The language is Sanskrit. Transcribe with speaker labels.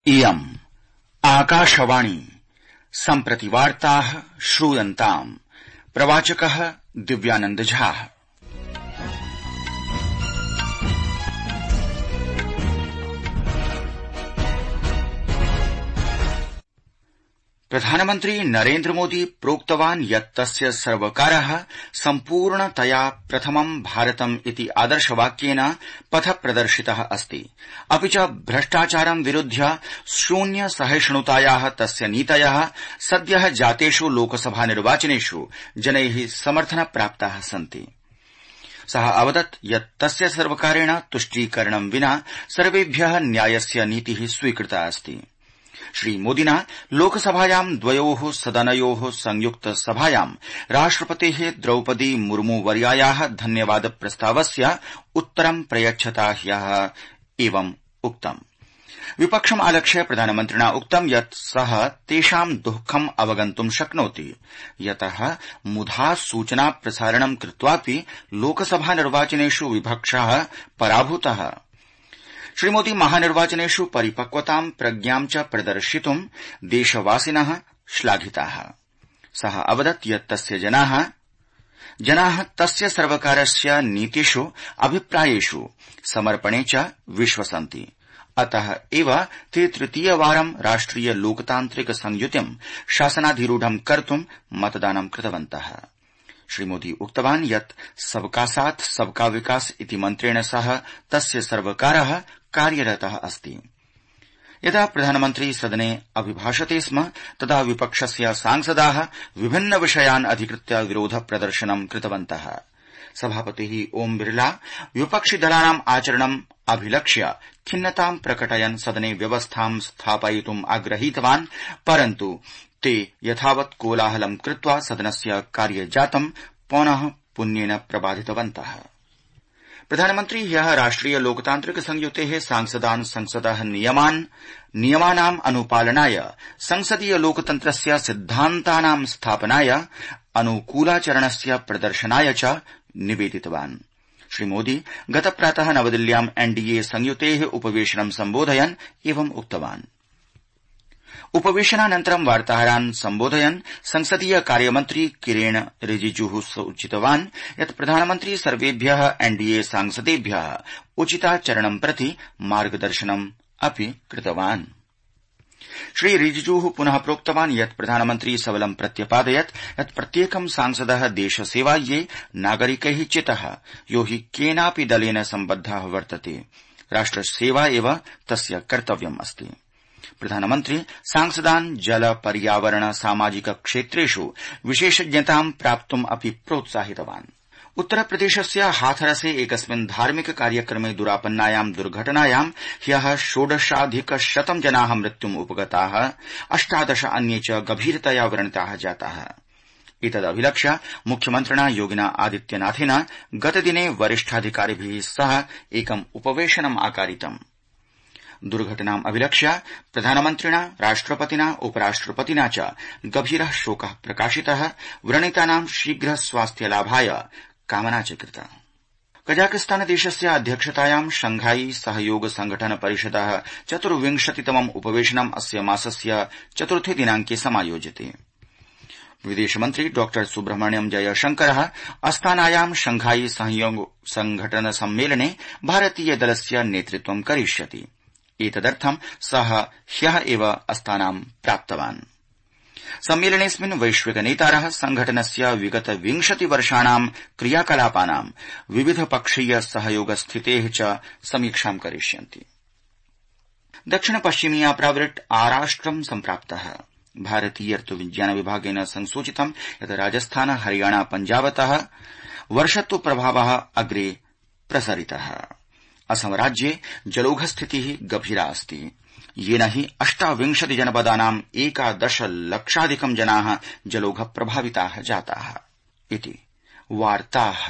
Speaker 1: इयम् आकाशवाणी सम्प्रति वार्ताः श्रूयन्ताम्। प्रवाचकः दिव्यानंद झा। प्रधानमन्त्री नरेन्द्र मोदी प्रोक्तवान् यत् तस्य सर्वकारः सम्पूर्णतया प्रथमं भारतम् इति आदर्शवाक्येन पथ प्रदर्शितः अस्ति। अपि च भ्रष्टाचारं विरुध्य शून्य सहिष्णुतायाः तस्य नीतयः सद्यः जातेषु लोकसभा निर्वाचनेषु जनैः समर्थन प्राप्ताः सन्ति। सः अवदत् यत् तस्य सर्वकारेण तुष्टीकरणं विना सर्वेभ्यः न्यायस्य नीतिः स्वीकृता अस्ति। श्रीमोदिना लोकसभायां द्वयोः सदनयोः संयुक्त सभायां राष्ट्रपतेः द्रौपदी मुर्मू वर्यायाः धन्यवाद प्रस्तावस्य उत्तरं प्रयच्छता ह्यः एवम् उक्तम्। विपक्षम् आलक्ष्य प्रधानमन्त्रिणा उक्तं यत् सः तेषां दुःखम् अवगन्तुं शक्नोति, यतः मुधा सूचना प्रसारणं कृत्वापि लोकसभा निर्वाचनेषु विपक्षः पराभूतः। श्रीमोदी महानिर्वाचनेषु परिपक्वतां प्रज्ञां च प्रदर्शितुं देशवासिनः श्लाघिताः। सः अवदत् यत् तस्य जनाः तस्य सर्वकारस्य नीतिषु अभिप्रायेषु समर्पणे च विश्वसन्ति। अतः एव ते तृतीयवारं राष्ट्रिय लोकतान्त्रिक संयुतिं शासनाधिरूढं कर्तुं मतदानं कृतवन्तः। श्रीमोदी उक्तवान् यत् सबका साथ सबका विकास इति मन्त्रेण सह तस्य सर्वकारः कार्यरतः अस्ति। यदा प्रधानमन्त्री सदने अभिभाषते स्म तदा विपक्षस्य सांसदाः विभिन्न विषयान् अधिकृत्य विरोध प्रदर्शनं कृतवन्तः। सभापतिः ओम् बिरला विपक्षिदलानाम् आचरणम् अभिलक्ष्य खिन्नतां प्रकटयन् सदने व्यवस्थां स्थापयितुम् आग्रहीतवान्, परन्तु ते यथावत् कोलाहलं कृत्वा सदनस्य कार्यजातं पौनः पुन्येन प्रबाधितवन्तः। प्रधानमन्त्री ह्यः राष्ट्रिय लोकतान्त्रिक संयुतेः सांसदान् संसदः नियमानाम् अनुपालनाय, संसदीय लोकतन्त्रस्य सिद्धान्तानां स्थापनाय, अनुकूलाचरणस्य प्रदर्शनाय च निवेदितवान्। श्रीमोदी गतप्रातः नवदिल्ल्यां एनडीए संयुतेः उपवेशनं सम्बोधयन् एवम् उक्तवान्। उपवेशनानन्तरं वार्ताहरान् सम्बोधयन् संसदीय कार्यमन्त्री किरेण रिजिजूः सूचितवान् यत् प्रधानमन्त्री सर्वेभ्यः एनडीए सांसदेभ्यः उचिताचरणं प्रति मार्गदर्शनम् अपि कृतवान्। श्री रिजिजूः पुनः प्रोक्तवान् यत् प्रधानमन्त्री सबलं प्रत्यपादयत् यत् प्रत्येकं सांसदः देशसेवायै नागरिकैः चितः, यो हि केनापि दलेन सम्बद्धः वर्तते। राष्ट्रसेवा एव तस्य कर्तव्यम् अस्ति। प्रधानमन्त्री सांसदान् जल पर्यावरण सामाजिक क्षेत्रेषु विशेषज्ञतां प्राप्तुम् अपि प्रोत्साहितवान्। उत्तरप्रदेशस्य हाथरसे एकस्मिन् धार्मिक कार्यक्रमे दुरापन्नायां दुर्घटनायां ह्यः 16,100 जनाः मृत्युम् उपगताः, 18 अन्ये च गभीरतया व्रणिताः जाताः। एतदभिलक्ष्य मुख्यमन्त्रिणा योगिना आदित्यनाथेन गतदिने वरिष्ठाधिकारिभिः सह एकम् उपवेशनम् आकारितम्। दुर्घटनाम् अभिलक्ष्य प्रधानमन्त्रिणा, राष्ट्रपतिना, उपराष्ट्रपतिना च गभीरः शोकः प्रकाशितः, व्रणितानां शीघ्र स्वास्थ्यलाभाय कामना च कृता। कजाकिस्तान देशस्य अध्यक्षतायां शंघाई सहयोग संघटन परिषदः 24तमम् उपवेशनम् अस्य मासस्य 4 दिनांके समायोज्यते। विदेशमन्त्री डॉ सुब्रह्मण्यम जयशंकरः अस्तानायां शंघाई सहयोग संघटन सम्मेलने भारतीय दलस्य नेतृत्वं करिष्यति। एतदर्थं सः ह्यः एव अस्तानां प्राप्तवान्। सम्मेलनेऽस्मिन् वैश्विक नेतारः संघटनस्य विगत 20 वर्षाणां क्रियाकलापानां विविध पक्षीय सहयोग स्थितेः च समीक्षां करिष्यन्ति। दक्षिण पश्चिमीया प्रावृट् आराष्ट्रं सम्प्राप्तः। भारतीय ऋतुविज्ञान विभागेन संसूचितं यत् राजस्थान, हरियाणा, पञ्जाबतः वर्षत्व प्रभावः अग्रे प्रसरितः। असम राज्ये जलौघस्थितिः गभीरा अस्ति, येन हि 28 जनपदानां 11 लक्षाधिकं जनाः जलौघ प्रभाविताः जाताः। इति वार्ताः।